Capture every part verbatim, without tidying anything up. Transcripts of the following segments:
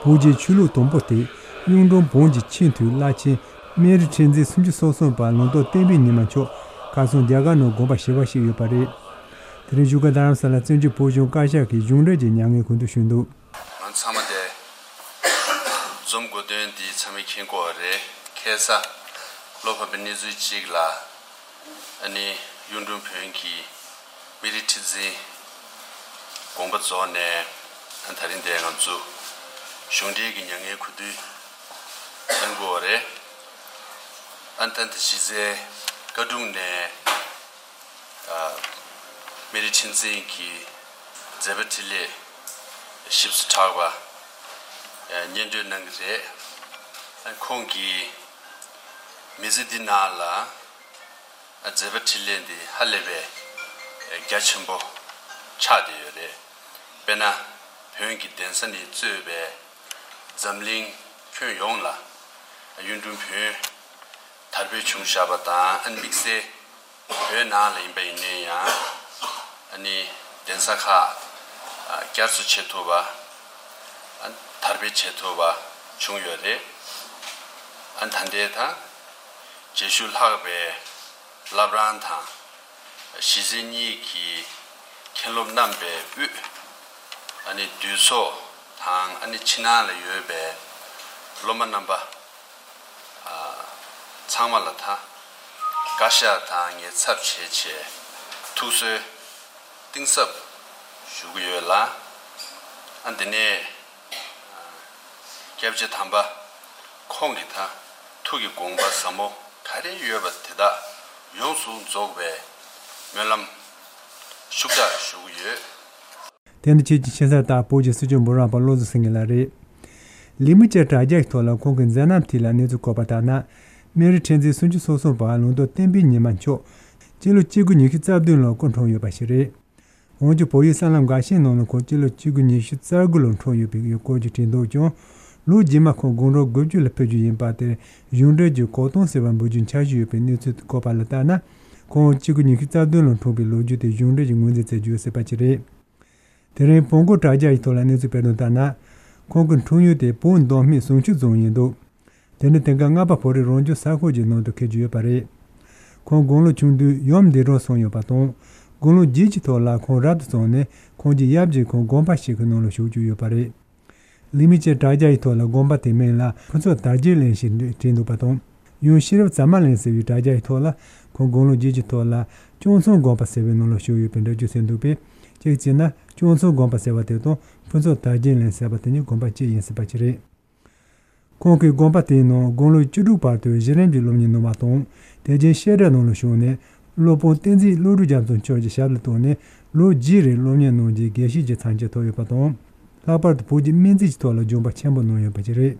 བོད་ཀྱི་ཆོས་ལུགས་དང་པོ་སྟེ། གཡུང་དྲུང་བོན་གྱི་ཆེས་མཐོའི་བླ་ཆེན་སྨན་རི་ཁྲི་འཛིན་སུམ་ཅུ་སོ་གསུམ་པ་ལུང་རྟོགས་བསྟན་པའི་ཉི་མ་མཆོག་ཁ་སང་རྒྱ་གར་ནང་དགོངས་པ་ཞེ་བ་ཞིག་ཡོད་པ་རེད། དེ་རིང་བཞུགས་སྒར་རྡ་རམ་ས་ལ་བཙན་བྱོལ་བོད་གཞུང་བཀའ་ཤག་གིས་གཞུང་འབྲེལ་གྱི་མྱ་ངན་གུས་འདུད་ཞུས་འདུག་ང་ཚང་མ་དེ་འཛོམས་དགོས་དོན་འདི་ཚང་མས་མཁྱེན་གྱི་ཡོད་རེད། ཁ་སང་བློ་ཕམ་པའི་གནས་ཚུལ་གཅིག་ལ། ཨ་ནི་གཡུང་དྲུང་བོན་གྱི་སྨན་རི་ཁྲི་འཛིན་དགོངས་པ་རྫོགས་ནས། ཨ་ད་རིང་དེ་ང་ཚོ་གཞུང་འབྲེལ་གྱི་མྱ་ངན་གུས་འདུད་གནང་དགོས་པ་རེད། ཨ་ད་ད་གཞི་རྩའི་བཀའ་དྲུང་ནས། ཨ་སྨན་རི་ཁྲི་འཛིན་གྱི་མཛད་པ་འཕྲིན་ལས་ཞིབ་ཏུ་ཕྲ་བ་ཨ་སྙན་སྒྲོན་གནང་གི་རེད། ཨ་ཁོང་གིས་མི་ཚེ་འདི་ནང་ལ་ཨ་མཛད་པ་འཕྲིན་ལས་འདི་ཧ་ལས་པའི་རྒྱ་ཆེན་པོ་ཆགས་བསྡད་ཡོད་རེད། དཔེར་ན་བོན་གྱི་གདན་ས་ནས་གཙོས་པའི་འཛམ་གླིང་ཁྱོན་ཡོངས་ལ་གཡུང་དྲུང་བོན་དར་སྤེལ་བྱུང་བཞག་པ་དང་། ཨ་དམིགས་བསལ་བོད་ནང་ལ་ཡིན་པ་ཡིན་ནའི་ཡང་། ཨ་ནི་གདན་ས་ཁག་ཨ་བསྐྱར་གསོ་བྱེད་ཐུབ་པ། ཨ་དར་སྤེལ་བྱེད་ཐུབ་པ་བྱུང་ཡོད་རེད། ཨ་ད་ལྟའི་ད་རྗེས་ཤུལ་ལྷག་པའི་བླ་བྲང་དང་། གཞིས་བྱེས་གཉིས་ཀྱི་མཁན་སློབ་རྣམ་པའི་དབུས། ཨ་ནི་འདུས་ཚོགས་དང་། ཨ་ནི་ཕྱི་ནང་ལ་ཡོད་པའི་སློབ་མ་རྣམ་པ་ཨ་ཚང་མ་ལ་ད་བཀའ་ཤག་དང་ངས་ཚབ་བྱས་བྱས་ཐུགས་གསོའི་གཏིང་ཟབ་ཞུ་གི་ཡོད་ལ། ཨ་འདི་ནས་ཨ་སྐྱབས་རྗེ་དམ་པ་ཁོང་གི་ད་ཐུགས་ཀྱི་དགོངས་པ་ཟབ་མོ་ག་རེ་ཡོད་པ་དེ་དག་ཡོངས་སུ་རྫོགས་པའི་སྨོན་ལམ་ཤུགས་དྲག་ཞུ་གི་ཡོད། དེ་ནི་ཁྱེད་ཀྱི་ཆེ་ས་རྟག་བོད་ཀྱི་སྲིད་སྐྱོང་འབུམ་རམས་པ་བློ་བཟང་སེང་གེ་ལགས་རེད། ལས་མི་བཅས་དྲ་རྒྱ་ཡི་ཐོག་ལ་ཁོང་གི་མཛད་རྣམ་ཐད་ལ་གནས་ཚུལ་བཀོད་པ་ལྟར་ན། སྨན་རི་ཁྲི་འཛིན་སུམ་ཅུ་སོ་གསུམ་པ་ལུང་རྟོགས་བསྟན་པའི་ཉི་མ་མཆོག་སྤྱི་ལོ་གཅིག་སྟོང་དགུ་བརྒྱ་ཉི་ཤུ་རྩ་བདུན་ལོར་སྐུ་འཁྲུངས་ཡོད་པ་ཞིག་རེད། འོན་ཀྱང་བོད་ཡིག་གསར་ལམ་འགའ་ཤས་ནང་ལ་ཁོང་སྤྱི་ལོ་གཅིག་སྟོང་དགུ་བརྒྱ་ཉི་ཤུ་རྩ་དགུ་ལོར་འཁྲུངས་ཡོད་པའི་སྐོར་གྱི་བྲིས་འདུག་ཀྱང་། ལོ་རྗེས་མ་ཁོང་དགུང་ལོ་དགུ་བཅུ་ལ་ཕེབས་རྒྱུ་ཡིན་པ་དེར་གཞུང་འབྲེལ་གྱི་གོ་སྟོན་ཟེར་བ་འབུལ་རྒྱུའི་འཆར་གཞི་ཡོད་པའི་གནས་ཚུལ་བཀོད་པ་ལ་ལྟར་ན། ཁོང་གཅིག་སྟོང་དགུ་བརྒྱ་ཉི་ཤུ་རྩ་བདུན་ལོར་འཁྲུངས་པའི་ལོ་རྒྱུས་དེ་གཞུང་འབྲེལ་གྱིས་ངོས་འཛིན་མཛད་རྒྱུ་ཡོད་སྲིད་པ་ཅིག་རེད། དེ་རིང་བོན་སྒོར་དྲ་རྒྱ་ཡི་ཐོག་ལ་གནས་ཚུལ་སྤེལ་དོན་ལྟར་ན། ཁོང་གི་འཁྲུངས་ཡུལ་དེ་བོད་མདོ་སྨད་ཟུང་ཆུ་རྫོང་ཡིན་འདུག་དེ་ནི་དེང་སྐབས་རྔ་པ་བོད་རིགས་རང་སྐྱོང་ས་ཁུལ་གྱི་ནང་དུ་འཁེལ་རྒྱུ་ཡོད་པ་རེད། ཁོང་དགུང་ལོ་ཆུང་དུས་ཡུམ་འདས་གྲོངས་སོང་ཡོད་པ་དང་། དགུང་ལོ་བརྒྱད་ཀྱི་ཐོག་ལ་ཁོང་རབ་ཏུ་བྱུང་ནས། ཁོང་གི་ཡབ་ཀྱིས་ཁོང་དགོན་པ་ཞིག་གི་ནང་ལ་བཞུགས་རྒྱུ་ཡོད་པ་རེད། ལས་མི་བཅས་དྲ་རྒྱ་ཡི་ཐོག་ལ་དགོན་པ་དེའི་མིང་ལ་ཕུན་ཚོགས་དར་རྒྱས་གླིང་ཞེས་བྲིས་འདུག་པ་དང་། ཡང་ཤེས་རབ་ཟ་མ་གླིང་ཟེར་བའི་དྲ་རྒྱ་ཡི་ཐོག་ལ། ཁོང་དགུང་ལོ་བརྒྱད་ཀྱི་ཐོག་ལ་སྐྱོང་ཚོང་དགོན་པ་ཟེར་བའི་ནང་ལ་བཞུགས་ཡོད་པའི་འགྲེལ་བརྗོད་ཟིན་འདུག་པས། གཅིག་བྱས་ན་སྐྱོང་ཚོང་དགོན་པ་ཟེར་བ་དེ་དང་ཕུན་ཚོགས་དར་རྒྱས་གླིང་ཟེར་བ་དེ་གཉིས་དགོན་པ་གཅིག་ཡིན་སྲིད་པ་ཅིག་རེད། ཁོང་གིས་དགོན་པ་དེའི་ནང་དགུང་ལོ་བཅུ་དྲུག་བར་དུ་གཞི་རིམ་གྱི་སློབ་གཉེར་གནང་བ་དང་། དེ་རྗེས་བཤད་གྲྭའི་ནང་ལ་ཞུགས་ནས། སློབ་དཔོན་བསྟན་འཛིན་བློ་གྲོས་རྒྱ་མཚོ་མཆོག་གི་ཞབས་ལ་གཏུགས་ནས། ལོ་བརྒྱད་རིང་སློབ་གཉེར་གནང་རྗེས་དགེ་བཤེས་ཀྱི་མཚན་གྱི་ཐོབ་ཡོད་པ་དང་། ལྷག་པར་དུ་བོད་ཀྱི་སྨན་རྩིས་ཀྱི་ཐོག་ལ་སྦྱོང་བ་ཆེན་པོ་གནང་ཡོད་པ་ཞིག་རེད།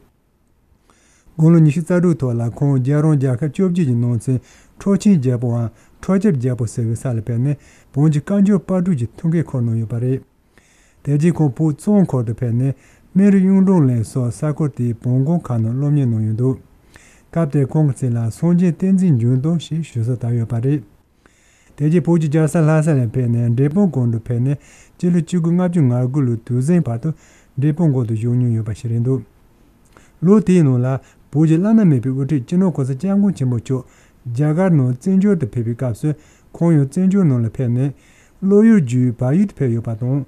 དགུང་ལོ་ཉི་ཤུ་རྩ་དྲུག་ཐོག་ལ་ཁོང་རྒྱལ་རོང་རྒྱལ་ཁབ་བཅོ་བརྒྱད་ཀྱི་ནང་ཚན་ཁྲོ་ཆེན་རྒྱལ་པོའམ་ཁྲོ་རྒྱལ་རྒྱལ་པོ་ཟེར་བའི་ས་ལ་ཕེབས་ནས། བོན་གྱི་བཀའ་འགྱུར་དཔར་སྐྲུན་གྱི་ཐུགས་འགན་འཁུར་གནང་ཡོད་པ་རེད། དེ་རྗེས་ཁོང་བོད་གཙང་ཁུལ་དུ་ཕེབས་ནས། སྨན་རི་གཡུང་དྲུང་གླིང་སོགས་ས་ཁུལ་དེའི་བོན་དགོན་ཁག་ནང་སློབ་གཉེར་གནང་ཡོད་འདུག་སྐབས་དེར་ཁོང་གི་མཚན་ལ་སངས་རྒྱས་བསྟན་འཛིན་འབྱུང་སྟོན་ཞེས་ཞུ་སྲོལ་དར་ཡོད་པ་རེད། དེ་རྗེས་བོད་ཀྱི་རྒྱལ་ས་ལྷ་ས་ནས་ཕེབས་ནས། འབྲས་སྤུངས་དགོན་དུ་ཕེབས་ནས། སྤྱི་ལོ་གཅིག་སྟོང་དགུ་བརྒྱ་ལྔ་བཅུ་ང་དགུ་ལོའི་དུས་ཟིང་བར་དུ་འབྲས་སྤུངས་དགོན་དུ་བཞུགས་མྱོང་ཡོད་པ་ཞིག་རེད་འདུག་ལོ་དེའི་ནང་ལ་བོད་ཀྱི་བླ་ན་མེད་པའི་དབུ་ཁྲིད་སྤྱི་ནོར་གོང་ས་སྐྱབས་མགོན་ཆེན་པོ་མཆོག་རྒྱ་གར་ནང་བཙན་བྱོལ་དུ་ཕེབས་པའི་སྐབས་སུ། ཁོང་ཡང་བཙན་བྱོལ་ནང་ལ་ཕེབས་ནས། སློབ་ཡུལ་བརྒྱུད་བལ་ཡུལ་དུ་ཕེབས་ཡོད་པ་དང་།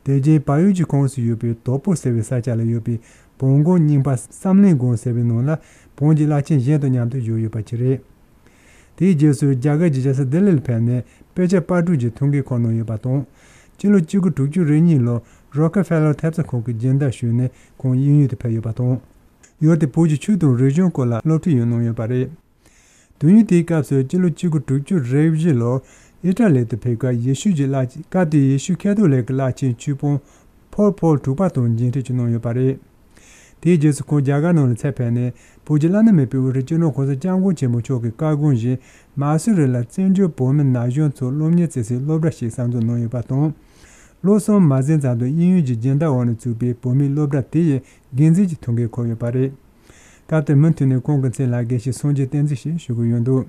དེ་རྗེས་བལ་ཡུལ་གྱི་ཁོངས་སུ་ཡོད་པའི་དྭགས་པོ་ཟེར་བའི་ས་ཆ་ལ་ཡོད་པའི་བོན་དགོན་རྙིང་པ་བསམ་གླིང་དགོན་ཟེར་བའི་ནང་ལ་བོན་གྱི་བླ་ཆེན་གཞན་དང་མཉམ་དུ་བཞུགས་ཡོད་པ་ཞིག་རེད། དེའི་རྗེས་སུ་རྒྱ་གར་གྱི་རྒྱལ་ས་ལྡི་ལི་ལ་ཕེབས་ནས། དཔེ་ཆ་དཔར་སྐྲུན་གྱི་ཐུགས་འགན་འཁུར་གནང་ཡོད་པ་དང་། སྤྱི་ལོ་གཅིག་སྟོང་དགུ་བརྒྱ་དྲུག་ཅུ་རེ་གཉིས་ལོར་རོ་ཀེ་ཕེ་ལར་ཐེབས་རྩ་ཁང་གི་སྦྱིན་བདག་ཞུས་ནས། ཁོང་དབྱིན་ཡུལ་དུ་ཕེབས་ཡོད་པ་དང་། ཡུལ་དེའི་བོད་ཀྱི་ཆོས་དང་རིག་གཞུང་སྐོར་ལ་སློབ་ཁྲིད་ཡང་གནང་ཡོད་པ་རེད། དུས་ཡུན་དེའི་སྐབས་སུ་སྤྱི་ལོ་གཅིག་སྟོང་དགུ་བརྒྱ་དྲུག་ཅུ་རེ་བཞི་ལོར་ཨི་ཊ་ལི་དུ་ཕེབས་སྐབས། ཡེ་ཤུ་གྱི་བླ། སྐབས་དེའི་ཡེ་ཤུ་ཁ་ཐོ་ལིག་གི་བླ་ཆེན་ཆོས་དཔོན་ཕོལ་པོལ་དྲུག་པ་དང་མཇལ་འཕྲད་ཀྱང་གནང་ཡོད་པ་རེད། དེའི་རྗེས་སུ་ཁོང་རྒྱ་གར་ནང་ལ་ཚུར་ཕེབས་ནས། བོད་ཀྱི་བླ་ན་མེད་པའི་དབུ་ཁྲིད་སྤྱི་ནོར་གོང་ས་སྐྱབས་མགོན་ཆེན་པོ་མཆོག་གི་བཀའ་དགོངས་བཞིན། མ་སུ་རི་ལ་བཙན་བྱོལ་བོད་མི་ན་གཞོན་ཚོར་སློབ་གཉེར་བྱེད་སའི་སློབ་གྲྭ་ཞིག་གསར་འཛུགས་གནང་ཡོད་པ་དང་། ལོ་གསུམ་མ་ཟིན་ཙམ་དུ་དབྱིན་ཡུལ་གྱི་སྦྱིན་བདག་འོག་ནས་བཙུགས་པའི་བོད་མིའི་སློབ་གྲྭ་དེ་ཡི་འགན་འཛིན་གྱི་ཐུགས་འགན་འཁུར་ཡོད་པ་རེད། སྐབས་དེར་མུ་མཐུད་ནས་ཁོང་གི་མཚན་ལ་དགེ་བཤེས་སངས་རྒྱས་བསྟན་འཛིན་ཞེས་ཞུ་གི་ཡོད་འདུག་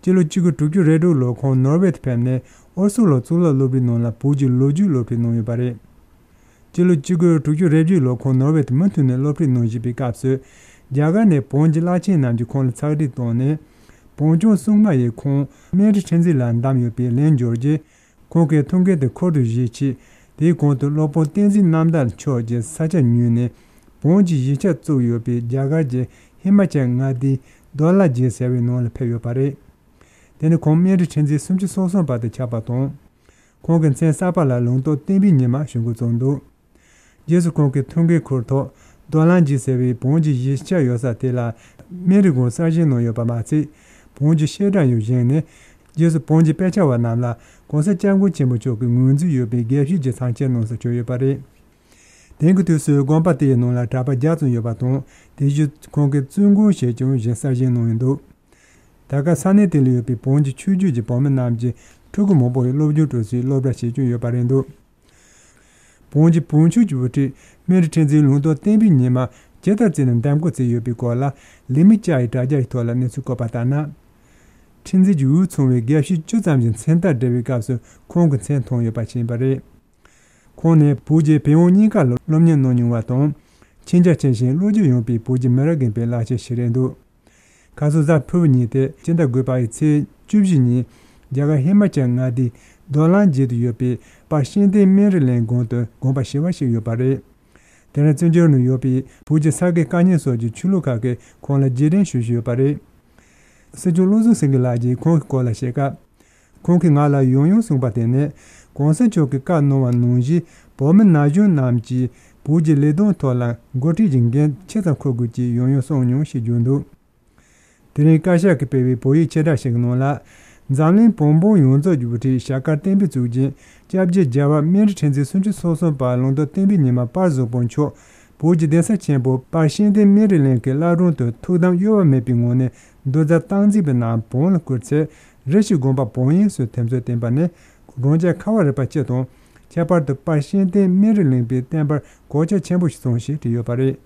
སྤྱི་ལོ་གཅིག་སྟོང་དགུ་བརྒྱ་དྲུག་ཅུ་རེ་དྲུག་ལོར་ཁོང་ནོར་ཝེ་དུ་ཕེབས་ནས། ཨོ་སི་ལོ་གཙུག་ལག་སློབ་གྲྭའི་ནང་ལ་བོད་ཀྱི་ལོ་རྒྱུས་སློབ་ཁྲིད་གནང་ཡོད་པ་རེད། སྤྱི་ལོ་གཅིག་དགུ་དྲུག་ཅུ་རེ་བརྒྱད་ལོར་ཁོང་ནོར་ཝེ་དུ་མུ་མཐུད་ནས་སློབ་ཁྲིད་གནང་བཞིན་པའི་སྐབས་སུ། རྒྱ་གར་ནས་བོན་གྱི་བླ་ཆེན་རྣམས་ཀྱིས་ཁོང་ལ་ཚགས་སྒྲིག་བཏང་ནས། བོན་སྐྱོང་སྲུང་མ་ཡིས་ཁོང་སྨན་རི་ཁྲི་འཛིན་ལ་བདམས་ཡོད་པའི་ལན་འབྱོར་རྗེས། ཁོང་གིས་ཐུགས་འགན་དེ་འཁུར་དུ་བཞེས་ཆེད། དེའི་གོང་དུ་སློབ་དཔོན་བསྟན་འཛིན་རྣམ་དག་མཆོག་གིས་ས་ཆ་ཉོས་ནས། བོན་གྱི་གཞིས་ཆགས་བཙུགས་ཡོད་པའི་རྒྱ་གར་གྱི་ཧི་མ་ཅལ་མངའ་སྡེའི་རྡོ་ལ་རྗེ་ཟེར་བའི་ནང་ལ་ཕེབས་ཡོད་པ་རེད། དེ་ནི་ཁོང་སྨན་རི་ཁྲི་འཛིན་སུམ་ཅུ་སོ་གསུམ་པ་དུ་ཆགས་པ་དང་། ཁོང་གི་མཚན་གསར་པ་ལ་ལུང་རྟོགས་བསྟན་པའི་ཉི་མ་ཞུ་འགོ་བརྩམས་འདུག། རྗེས་སུ་ཁོང་གིས་ཐུགས་འགན་འཁུར་ཐོག་རྡོ་ལ་རྗེ་ཟེར་བའི་བོན་གྱི་གཞིས་ཆགས་ཡོད་ས་དེ་ལ་སྨན་རི་དགོན་གསར་བཞེངས་གནང་ཡོད་པ་མ་ཚད། བོན་གྱི་བཤད་གྲྭ་ཡང་བཞེངས་ནས། རྗེས་སུ་བོན་གྱི་དཔེ་ཆ་བ་རྣམས་ལ་གོང་ས་སྐྱབས་མགོན་ཆེན་པོ་མཆོག་གིས་ངོས་འཛིན་ཡོད་པའི་དགེ་བཤེས་ཀྱི་ཚབ་མཆན་གནང་སར་བསྐྱོན་ཡོད་པ་རེད། དེང་གི་དུས་སུ་དགོན་པ་དེའི་ནང་ལ་གྲྭ་པ་བརྒྱ་ཙམ་ཡོད་པ་དང་། དེ་བཞིན་ཁོང་གིས་བཙུན་དགོན་ཞེས་ཀྱང་གཞན་གསར་བཞེངས་གནང་ཡོད་འདུག། ད་སྐབས་ས་གནས་དེ་ལ་ཡོད་པའི་བོན་གྱི་ཆོས་བརྒྱུད་ཀྱི་བུད་མེད་རྣམས་ཀྱིས་ཕྲུ་གུ་མང་པོ་ཡི་སློབ་སྦྱོང་སྤྲོད་སའི་སློབ་གྲྭ་ཞིག་ཀྱང་ཡོད་པ་རེད་འདུག། བོན་གྱི་བོན་ཆོས་ཀྱི་དབུ་ཁྲིད་སྨན་རི་ཁྲི་འཛིན་ལུང་རྟོགས་བསྟན་པའི་ཉི་མ་ཇི་ལྟར་བརྩིས་ནས་འདེམས་བསྐོ་བྱས་ཡོད་པའི་སྐོར་ལ་ལི་མི་ཅཱ་ཡི་དྲ་རྒྱ་ཡི་ཐོག་ལ་གནས་ཚུལ་བཀོད་པ་ལྟར་ན། ཁྲི་འཛིན་གྱི་འོས་ཚང་བའི་དགེ་བཤེས་བཅུ་ཙམ་གྱི་མཚན་རྟགས་སྦྲེལ་བའི་སྐབས་སུ་ཁོང་གི་མཚན་མཐོང་ཡོད་པ་ཞིག་ཡིན་པ་རེད། ཁོང་ནི་བོད་རྒྱའི་བོན་དབང་གཉིས་ཀ་ལ་སློབ་གཉེར་གནང་མྱོང་བ་དང་། མཁྱེན་རྒྱ་ཆེ་ཞིང་བློ་སྐྱེད་ཡངས་པའི་བོད་ཀྱི་མི་རབས་རྒན་པའི་བླ་ཆེན་ཞིག་རེད་འདུག། ཁ་སང་གཟའ་ཕུར་བུ་ཉིན་ཏེ་སྤྱི་ཟླ་དགུ་པ་ཡི་ཚེས་བཅུ་བཞི་ཉིན་རྒྱ་གར་ཧི་མ་ཅལ་མངའ་སྡེའི་རྡོ་ལ་རྗེ་དུ་ཡོད་པའི་དཔལ་ཤེས་ལྡན་སྨན་རི་གླིང་དགོན་དུ་དགོངས་པ་ཞུ་བ་ཞིག་ཡོད་པ་རེད། དེ་ནས་བཙན་བྱོལ་ནང་ཡོད་པའི་བོད་ཀྱི་ས་དགེ་བཀའ་རྙིང་སོགས་ཀྱི་ཆོས་ལུགས་ཁག་གིས་ཁོང་ལ་རྗེས་དྲན་ཞུ་བཞིན་ཡོད་པ་རེད། སྲིད་སྐྱོང་བློ་བཟང་སེང་གེ་ལགས་ཀྱིས་ཁོང་གི་སྐོར་ལ་བཤད་སྐབས། ཁོང་གིས་ང་ལ་ཡང་ཡང་གསུངས་པ་དེ་ནི། གོང་ས་མཆོག་གིས་བཀའ་གནང་བ་ནང་བཞིན་བོད་མི་ན་གཞོན་རྣམས་ཀྱིས་བོད་ཀྱི་ལས་དོན་ཐོག་ལ་འགོ་ཁྲིད་ཀྱི་འགན་ཆེ་ཙམ་འཁུར་དགོས་ཀྱི་ཡང་ཡང་གསུངས་མྱོང་ཞེས་བརྗོད་འདུག། དེ་རིང་བཀའ་ཤག་གིས་སྤེལ་བའི་བོད་ཡིག་ཕྱིར་བསྒྲགས་ཤིག་གི་ནང་ལ། འཛམ་གླིང་བོན་པོ་ཡོངས་རྫོགས་ཀྱི་དབུ་ཁྲིད་ཞྭ་དཀར་བསྟན་པའི་གཙུག་རྒྱན་སྐྱབས་རྗེ་རྒྱལ་བ་སྨན་རི་ཁྲི་འཛིན་སུམ་ཅུ་སོ་གསུམ་པ་ལུང་རྟོགས་བསྟན་པའི་ཉི་མ་དཔལ་བཟང་པོ་མཆོག་བོད་ཀྱི་གདན་ས་ཆེན་པོ་དཔལ་ཤེས་ལྡན་སྨན་རི་གླིང་གི་བླ་བྲང་དུ་ཐུགས་དམ་གཡོ་བ་མེད་པའི་ངང་ནས་འདུ་འཛོམས་སྟངས་འཛིན་པའི་ནང་བོན་ལ་བསྐུལ་ཚེ། རེ་ཞིག་དགོངས་པ་བོན་ཡིན་ཞེས་དེ་ཚོས་བསྟན་པ་ནི། རང་རྒྱལ་ཁ་བ་རི་པ་སྤྱི་དང་། ཁྱད་པར་དུ་དཔལ་ཤེས་ལྡན་སྨན་རི་གླིང་པའི་བསྟན་པར་གོད་ཆག་ཆེན་པོ་ཞིག་སོང་ཞེས་བྲིས་ཡོད་པ་རེད།